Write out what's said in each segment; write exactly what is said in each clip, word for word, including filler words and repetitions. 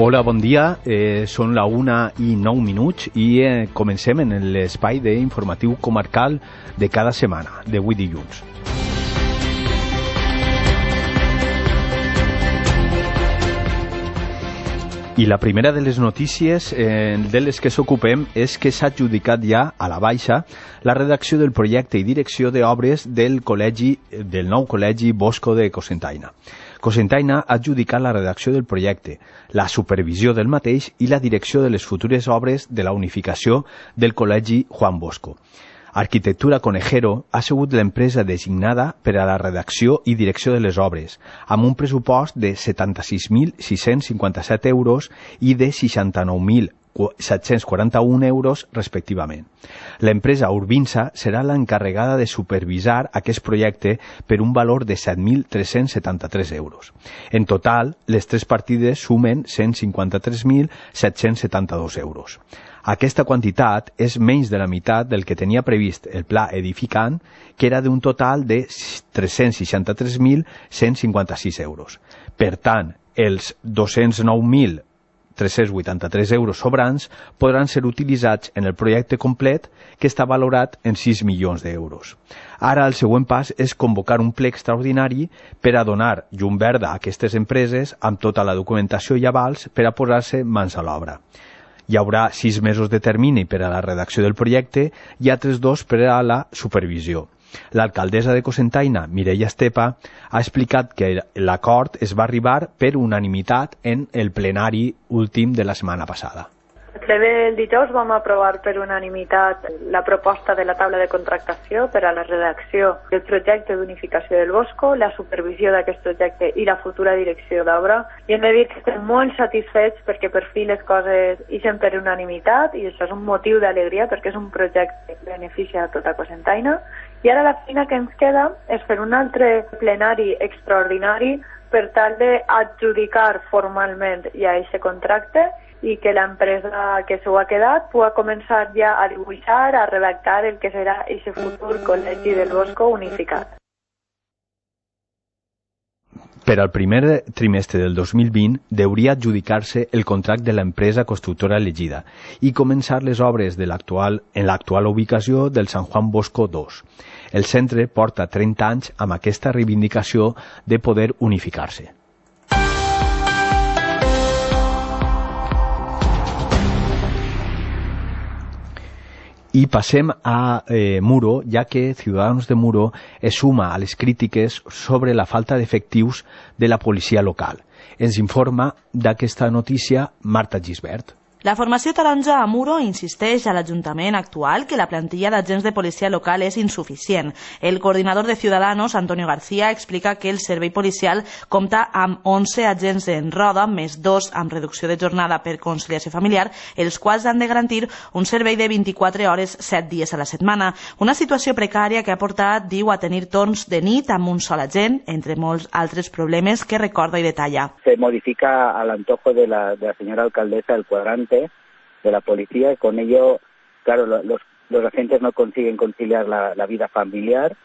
Hola, bon dia. Eh, són la una i nou minuts i eh, comencem en l'espai d'informatiu comarcal de cada setmana, d'avui dilluns. I la primera de les notícies eh, de les que s'ocupem és que s'ha adjudicat ja a la baixa la redacció del projecte i direcció d'obres del col·legi del nou col·legi Bosco de Cocentaina. Cocentaina ha adjudicat la redacció del projecte, la supervisió del mateix i la direcció de les futures obres de la unificació del col·legi Juan Bosco. Arquitectura Conejero ha sigut l'empresa designada per a la redacció i direcció de les obres, amb un pressupost de setanta-sis mil sis-cents cinquanta-set euros i de seixanta-nou mil set-cents quaranta-un euros respectivament. L'empresa Urbinsa serà l'encarregada de supervisar aquest projecte per un valor de set mil tres-cents setanta-tres euros. En total, les tres partides sumen cent cinquanta-tres mil set-cents setanta-dos euros. Aquesta quantitat és menys de la meitat del que tenia previst el pla edificant, que era d'un total de tres-cents seixanta-tres mil cent cinquanta-sis euros. Per tant, els dos-cents nou mil tres-cents vuitanta-tres euros sobrants podran ser utilitzats en el projecte complet, que està valorat en sis milions d'euros. Ara el següent pas és convocar un ple extraordinari per a donar llum verda a aquestes empreses amb tota la documentació i avals per a posar-se mans a l'obra. Hi haurà sis mesos de termini per a la redacció del projecte i altres dos per a la supervisió. L'alcaldessa de Cocentaina, Mireia Estepa, ha explicat que l'acord es va arribar per unanimitat en el plenari últim de la setmana passada. El ple del dijous vam aprovar per unanimitat la proposta de la taula de contractació per a la redacció del projecte d'unificació del Bosco, la supervisió d'aquest projecte i la futura direcció d'obra. I hem de dir que estem molt satisfets perquè per fi les coses ixen per unanimitat i això és un motiu d'alegria perquè és un projecte que beneficia a tota Cocentaina. I ara la feina que ens queda és fer un altre plenari extraordinari per tal d'adjudicar formalment ja aquest contracte i que l'empresa que s'ho ha quedat pugui començar ja a dibuixar, a redactar el que serà aquest futur col·legi del Bosco unificat. Per al primer trimestre del dos mil vint deuria adjudicar-se el contracte de l'empresa constructora elegida i començar les obres de l'actual en l'actual ubicació del San Juan Bosco dos. El centre porta trenta anys amb aquesta reivindicació de poder unificar-se. I passem a eh, Muro, ja que Ciudadanos de Muro es suma a les crítiques sobre la falta d'efectius de la policia local. Ens informa d'aquesta notícia Marta Gisbert. La formació taronja a Muro insisteix a l'Ajuntament actual que la plantilla d'agents de policia local és insuficient. El coordinador de Ciudadanos, Antonio García, explica que el servei policial compta amb onze agents en roda, més dos amb reducció de jornada per conciliació familiar, els quals han de garantir un servei de vint-i-quatre hores, set dies a la setmana. Una situació precària que ha portat, diu, a tenir torns de nit amb un sol agent, entre molts altres problemes que recorda i detalla. Se modifica al antojo de la, de la señora alcaldesa el cuadrante de la policía y con ello, claro, los, los agentes no consiguen conciliar la, la vida familiar.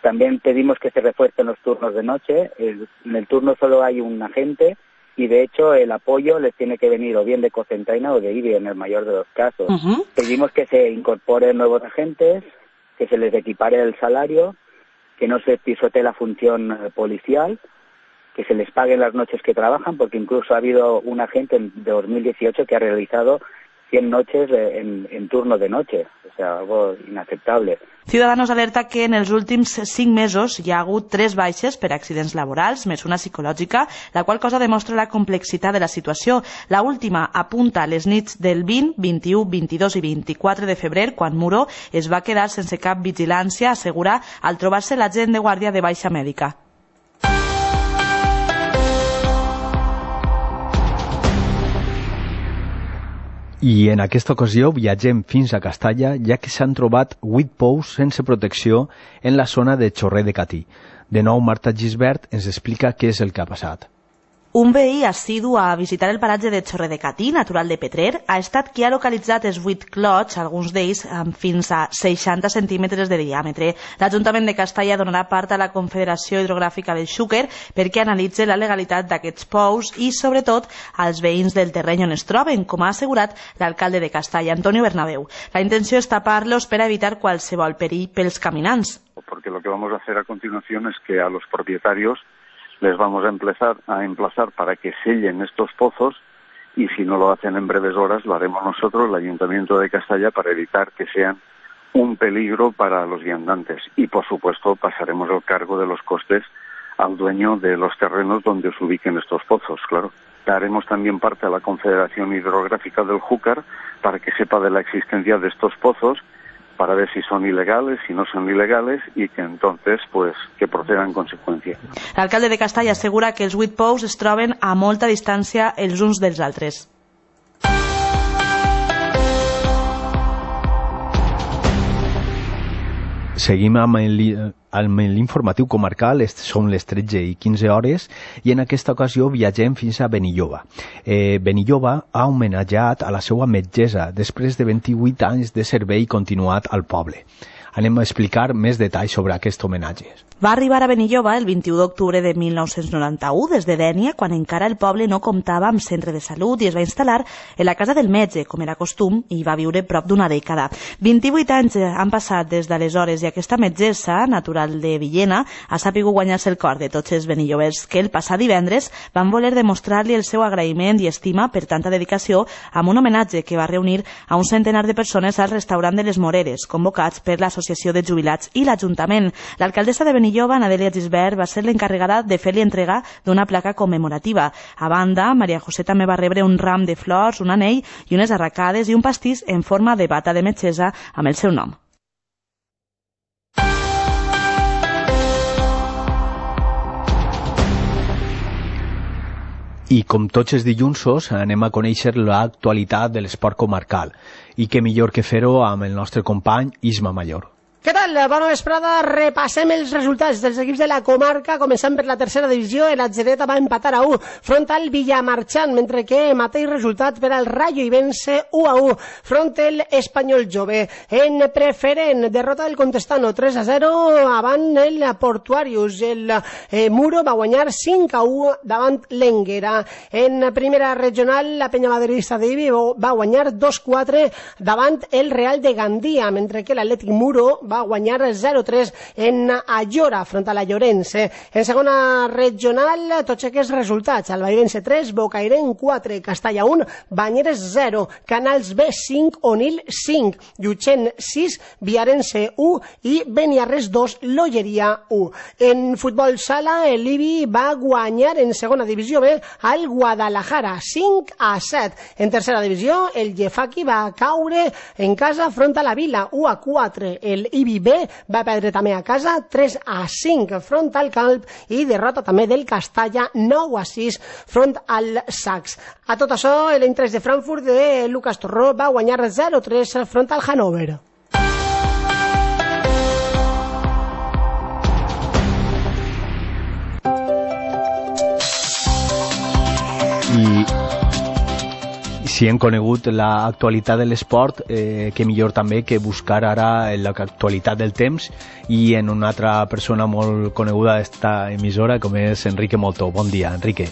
También pedimos que se refuercen los turnos de noche. El, en el turno solo hay un agente y de hecho el apoyo les tiene que venir o bien de Cocentaina o de I B I en el mayor de los casos. Uh-huh. Pedimos que se incorporen nuevos agentes, que se les equipare el salario, que no se pisotee la función policial, que se les paguen las noches que trabajan, porque incluso ha habido un agente de dos mil dieciocho que ha realizado cien noches en, en turno de noche, o sea, algo inaceptable. Ciudadanos alerta que en els últims cinc mesos hi ha hagut tres baixes per accidents laborals, més una psicològica, la qual cosa demostra la complexitat de la situació. La última apunta a les nits del vint, vint-i-u, vint-i-dos i vint-i-quatre de febrer, quan Muro es va quedar sense cap vigilància, assegura, al trobar-se l'agent de guàrdia de baixa mèdica. I en aquesta ocasió viatgem fins a Castalla, ja que s'han trobat vuit pous sense protecció en la zona de Chorrer de Catí. De nou, Marta Gisbert ens explica què és el que ha passat. Un veí assidu a visitar el paratge de Chorredecatí, natural de Petrer, ha estat qui ha localitzat els vuit clots, alguns d'ells amb fins a seixanta centímetres de diàmetre. L'Ajuntament de Castalla donarà part a la Confederació Hidrogràfica del Xúquer perquè analitzi la legalitat d'aquests pous i, sobretot, als veïns del terreny on es troben, com ha assegurat l'alcalde de Castalla, Antonio Bernabeu. La intenció és tapar-los per evitar qualsevol perill pels caminants. Porque lo que vamos a hacer a continuación es que a los propietarios les vamos a emplazar, a emplazar para que sellen estos pozos y si no lo hacen en breves horas lo haremos nosotros, el Ayuntamiento de Castalla, para evitar que sean un peligro para los viandantes y por supuesto pasaremos el cargo de los costes al dueño de los terrenos donde se ubiquen estos pozos, claro. Daremos también parte a la Confederación Hidrográfica del Júcar para que sepa de la existencia de estos pozos, para ver si son ilegales, si no son ilegales y que entonces pues que procedan en consecuencia. L'alcalde de Castalla assegura que els vuit pous es troben a molta distància els uns dels altres. Seguim amb l'informatiu comarcal, són les tretze i quinze hores i en aquesta ocasió viatgem fins a Benilloba. Eh, Benilloba ha homenatjat a la seva metgessa després de vint-i-vuit anys de servei continuat al poble. Anem a explicar més detalls sobre aquest homenatge. Va arribar a Benilloba el vint-i-u d'octubre de mil nou-cents noranta-u des de Dénia, quan encara el poble no comptava amb centre de salut i es va instal·lar en la casa del metge, com era costum, i va viure prop d'una dècada. vint-i-vuit anys han passat des d'aleshores i aquesta metgessa, natural de Villena, ha sapigut guanyar-se el cor de tots els benillobers que el passat divendres van voler demostrar-li el seu agraïment i estima per tanta dedicació amb un homenatge que va reunir a un centenar de persones al restaurant de les Moreres, convocats per l'Associació de Jubilats i l'Ajuntament. L'alcaldessa de Benilloba, Adèlia Gisbert, va ser l'encarregada de fer-li entrega d'una placa commemorativa. A banda, Maria José també va rebre un ram de flors, un anell i unes arracades i un pastís en forma de bata de metgessa amb el seu nom. I com tots els dilluns anem a conèixer l'actualitat de l'esport comarcal. I què millor que fer-ho amb el nostre company Isma Mayor. Què tal? Bona vesprada. Repassem els resultats dels equips de la comarca, començant per la tercera divisió. El Atsedeta va empatar a u front al Villamarchant, mentre que mateix resultat per al Rayo Ibense u a u front al Espanyol Jove. En preferent, derrota del Contestano tres a zero avant el Portuarius. El eh, Muro va guanyar cinc a u davant l'Enguera. En primera regional, la Penya Madridista de Ibi va guanyar dos a quatre davant el Real de Gandia, mentre que l'Atlètic Muro va guanyar zero a tres en Ayora front a la Llorense. En segona regional, tots aquests resultats: Albairense tres, Bocairen quatre, Castalla un, Banyeres zero, Canals B cinc, Onil cinc, Llutxent sis, Viarense u i Beniarres dos, Lolleria u. En futbol sala, el Ibi va guanyar en segona divisió B al Guadalajara cinc a set. En tercera divisió, el Llefaqui va caure en casa front a la Vila u a quatre. El Ibi B va perdre també a casa tres a cinc front al Calp i derrota també del Castalla nou a sis front al Sacs. A tot això, l'Eintracht de Frankfurt de Lucas Torró va guanyar zero a tres front al Hannover. I si hem conegut l'actualitat de l'esport, eh, que millor també que buscar ara l'actualitat del temps i en una altra persona molt coneguda d'esta emissora, com és Enrique Moltó. Bon dia, Enrique.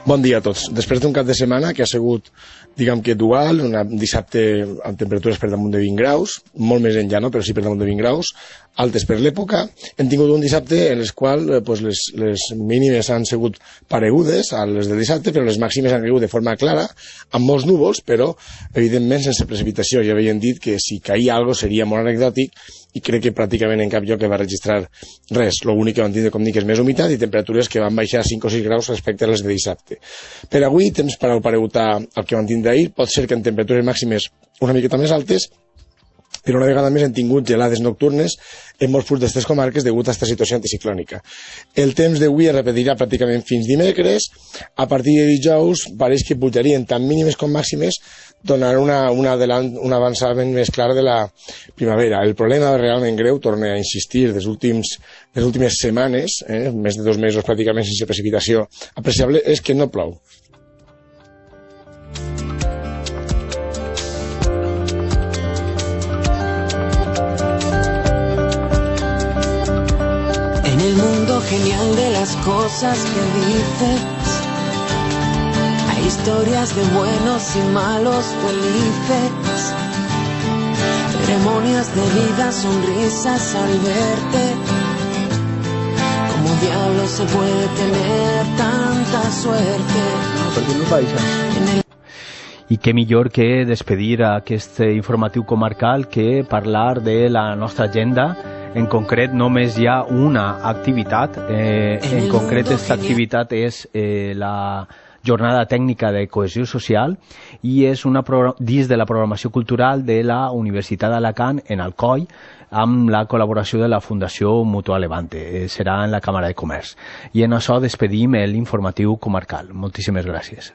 Bon dia a tots. Després d'un cap de setmana que ha sigut, diguem que dual, un dissabte amb temperatures per damunt de vint graus, molt més enllà, no? Però sí per damunt de vint graus, altes per l'època, hem tingut un dissabte en el qual eh, pues les, les mínimes han sigut paregudes a les del dissabte, però les màximes han caigut de forma clara, amb molts núvols, però evidentment sense precipitació. Ja havien dit que si caia alguna cosa seria molt anecdòtic i crec que pràcticament en cap lloc que va registrar res. L'únic que van tindre, com dic, és més humitat i temperatures que van baixar cinc o sis graus respecte a les de dissabte. Per avui, temps per al paregutar el que van tindre ahir, pot ser que en temperatures màximes una miqueta més altes però una vegada més hem tingut gelades nocturnes en molts punts d'aquestes comarques degut a aquesta situació anticiclònica. El temps d'avui es repetirà pràcticament fins dimecres. A partir de dijous pareix que pujarien tant mínimes com màximes, donant una, una adelant, un avançament més clar de la primavera. El problema realment greu, torno a insistir, des últims, les últimes setmanes, eh, més de dos mesos pràcticament sense precipitació apreciable, és que no plou. Genial de las cosas que dices, hay historias de buenos y malos felices, ceremonias de vida, sonrisas al verte. ¿Cómo diablos se puede tener tanta suerte? En el... I què millor que despedir aquest informatiu comarcal que parlar de la nostra agenda. En concret, només hi ha una activitat. Eh, en concret, aquesta activitat és eh, la jornada tècnica de cohesió social i és una dins de la programació cultural de la Universitat d'Alacant en Alcoi, amb la col·laboració de la Fundació Mutua Levante. Eh, serà en la Càmera de Comerç. I en això despedim l'informatiu comarcal. Moltíssimes gràcies.